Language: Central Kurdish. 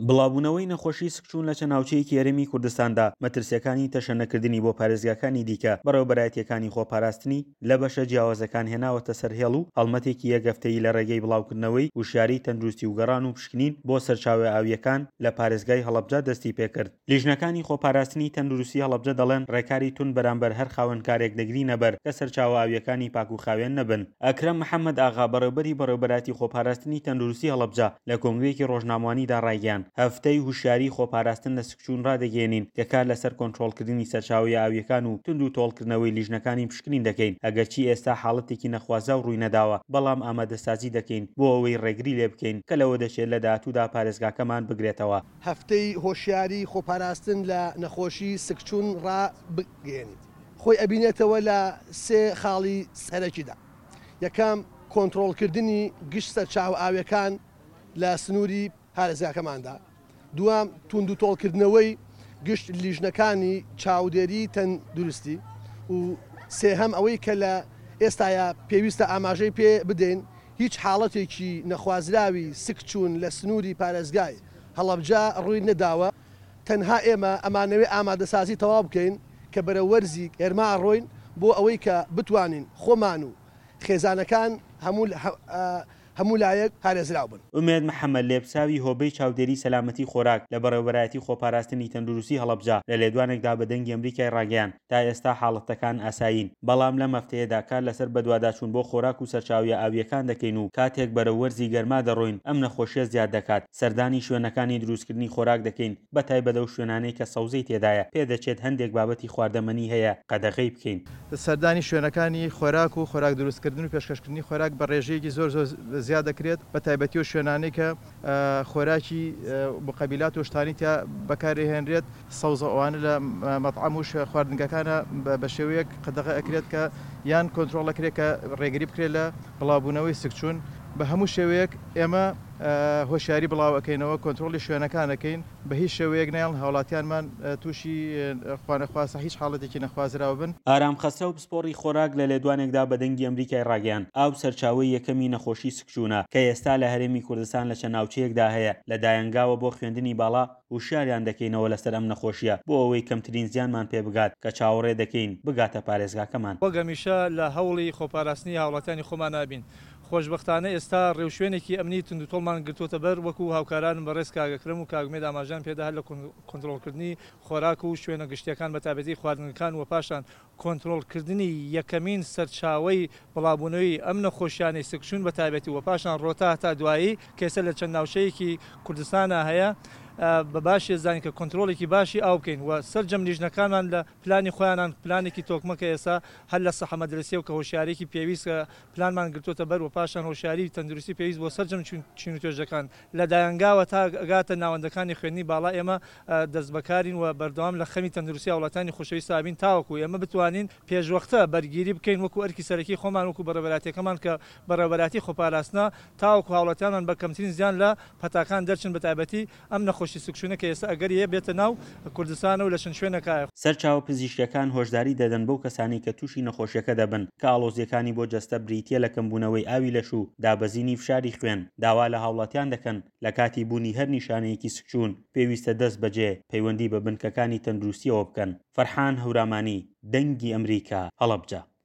بڵاوبوونەوەی نەخۆشی سکچوون لە چەند ناوچەیەکی هەرێمی کوردستاندا، مەترسییەکانی تەشەنەکردنی بۆ پارێزگاکانی دیکە، بەڕێوەبەرایەتییەکانی خۆپاراستنی لە بەشە جیاوازەکان هێناوەتە سەر هێڵ و هەڵمەتێکی یەک هەفتەیی لە ڕێگەی بڵاوکردنەوەی وشیاریی تەندروستی و گەڕان و پشکنین بۆ سەرچاوە ئاوییەکان لە پارێزگای هەڵەبجە دەستیپێکرد. لیژنەکانی خۆپاراستنی تەندروستی هەڵەبجە دەڵێن، ڕێکاری توند بەرامبەر هەر خاوەنکارێک دەگرینەبەر کە سەرچاوە ئاوییەکانی پاک و خاوێن نەبن. ئەکرەم محەمەد ئاغا، بەڕێوبەری بەڕێوبەرایەتی خۆپاراستنی تەندروستی هەڵەبجە لە کۆنگرەیەکی ڕۆژنامەوانیدا ڕایگەیاند، هەفتەی هوشیاریی خۆپاراستن لە سکچوون ڕادەگەیەنین کە کار لەسەر کۆنترۆڵکردنی سەرچاوەیە ئاوییەکان و توند و تۆڵکردنەوەی لیژنەکانی پشکنین دەکەین، ئەگەرچی ئێستا حاڵەتێکی نەخوازراو ڕووینەداوە، بەڵام ئامادەسازی دەکەین بۆ ئەوەی ڕێگری لێبکەین کە لەوەدەچێت لە داهاتوودا پارێزگاکەمان بگرێتەوە. هەفتەی هۆشیاری خۆپاراستن لە نەخۆشی سکچوون ڕابگەیەنیت خۆی ئەبینێتەوە لە سێ خاڵی سەرەکیدا، یەکەم، کۆنترۆڵکردنی گشت سەرچاوە ئاویەکان لە سنووری پارێزگاکەماندا، دووەم، توندوتۆڵکردنەوەی گشت لیژنەکانی چاودێری تەندروستی و سێهەم، ئەوەی کە لە ئێستایا پێویستە ئاماژەی پێ بدەین هیچ حاڵەتێکی نەخوازراوی سکچوون لە سنووری پارێزگای هەڵەبجە ڕووی نەداوە، تەنها ئێمە ئەمانەوێ ئامادەسازی تەواو بکەین کە بەرەو وەرزی گەرما ئەڕۆین بۆ ئەوەی کە بتوانین خۆمان و خێزانەکان هەموو هەموو لایەک پارێزراو بن. ئومێد محەمەد لێپرسراوی هۆبەی چاودێری سەلامەتی خۆراک لە بەڕێوەبەرایەتی خۆپاراستنی تەندروستی هەڵەبجە لە لێدوانێکدا بە دەنگی ئەمریکای ڕاگەیاند تا ئێستا حاڵەتەکان ئاسایین بەڵام لەم هەفتەیەدا کار لەسەر بەدواداچوون بۆ خۆراک و سەرچاویە ئاوییەکان دەکەین و کاتێک بەرەو وەرزی گەرما دەڕۆین ئەم نەخۆشیە زیاد دەکات سەردانی شوێنەکانی دروستکردنی خۆراک دەکەین بەتایبەت ئەو شوێنانەی کە سەوزەی تێدایە پێدەچێت هەندێک بابەتی خواردەمەنی هەیە قەدەغەی بکەین. سەردانی شوێنەکانی خۆراک و خۆراک دروستکردن و پێشکەشکردنی خۆراک بە ڕێژەیەکی زۆر زۆر زیاد دەکرێت بەتایبەتی ئەو شوێنانەی کە خۆراکی موقەبیلات و شتانی تیا بەکارئەهێنرێت سەوزە ئەوانە لە مەتعەم و خواردنگەکانە بە شێوەیەک قەدەغە ئەکرێت کە یان کۆنترۆڵ ئەکرێت کە ڕێگری بکرێت لە بڵاوبوونەوەی سکچوون بە هەموو شێوەیەک ئێمە هۆشیاری بڵاو ئەکەینەوە کۆنترۆڵی شوێنەکان ئەکەین بە هیچ شێوەیەک نایەڵن هاوڵاتیانمان تووشی خوانەخواستە هیچ حاڵەتێکی نەخوازراو بن. ئارام خەسرەو پسپۆڕی خۆراک لە لێدوانێکدا بە دەنگی ئەمریکای ڕاگەیاند، ئاو سەرچاوەی یەکەمی نەخۆشی سکچوونە کە ئێستا لە هەرێمی کوردستان لە چەند ناوچەیەکدا هەیە، لە دایەنگاوە بۆ خوێندنی باڵا هوشیاریان دەکەینەوە لەسەر ئەم نەخۆشییە بۆ ئەوەی کەمترین زیانمان پێ بگات کە چاوەڕێ دەکەین بگاتە پارێزگاکەمان. وەک هەمیشە لە هەوڵی خۆپاراستنی هاوڵاتیانی خۆمانا بین. خۆشبەختانە ئێستا ڕێوشوێنێکی ئەمنی توندوتۆڵمان گرتووەتە بەر وەکو هاوکارانم بەڕێز کاک ئەکرەم و کاک ئومێد ئاماژەیان پێدا هەر لە کۆنترۆڵکردنی خۆراک و شوێنە گشتییەکان بەتایبەتی خواردنگەکان و پاشان کۆنترۆڵکردنی یەکەمین سەرچاوەی بڵاوبوونەوەی ئەم نەخۆشیانەی سکچوون بە تایبەتی و پاشان ڕۆتا هەتا دوایی کە ئێستا لە چەند ناوچەیەکی کوردستانا هەیە بە باشی ئەزانین کە کۆنترۆڵێکی باشی ئاو بکەین و سەرجەم لیژنەکانمان لە پلانی خۆیانان پلانێکی تۆکمە کە ئێستا هەر لە سەحە مەدرەسیەوە کە هۆشیاریەکی پێویست پلانمان گرتۆتە بەر و پاشان هۆشیاری تەندروستی پێویست بۆ سەرجەم چین و توێژەکان لە دایەنگاوە تا ئەگاتە ناوەندەکانی خوێندنی باڵا ئێمە دەستبەکارین و بەردەوام لە خەمی تەندروستی هاوڵاتیانی خۆشەویست ئەبین تاوەکو ئێمە بتوانین پێشوەختە بەرگیری بکەین وەکو ئەرکی سەرەکی خۆمان وەکو بەڕێوەبەرایەتیەکەمان کە بەڕێوەبەرایەتی خۆپاراستنە تاوەکو هاوڵاتیانمان بە کەمترین زیان لە پەتاکان دەرچن بەتایبەتی ئەم نەخۆشی سکچوونە کە ئێستا ئەگەری هەیە بێتە ناو کوردستانە و لە چەند شوێنێکایە. سەرچاوە پزیشکیەکان هۆشداری دەدەن بەو کەسانەی کە تووشی نەخۆشیەکە دەبن کە ئاڵۆزیەکانی بۆ جەستە بریتیە لە کەمبوونەوەی ئاوی لەش و دابەزینی فشاری خوێن، داوا لە هاوڵاتیان دەکەن لە کاتی بوونی هەر نیشانەیەکی سکچوون پێویستە دەست بەجێ پەیوەندی بە بنکەکانی تەندروستیەوە بکەن. فەرحان هەورامانی، دەنگی ئەمریکا، هەڵەبجە.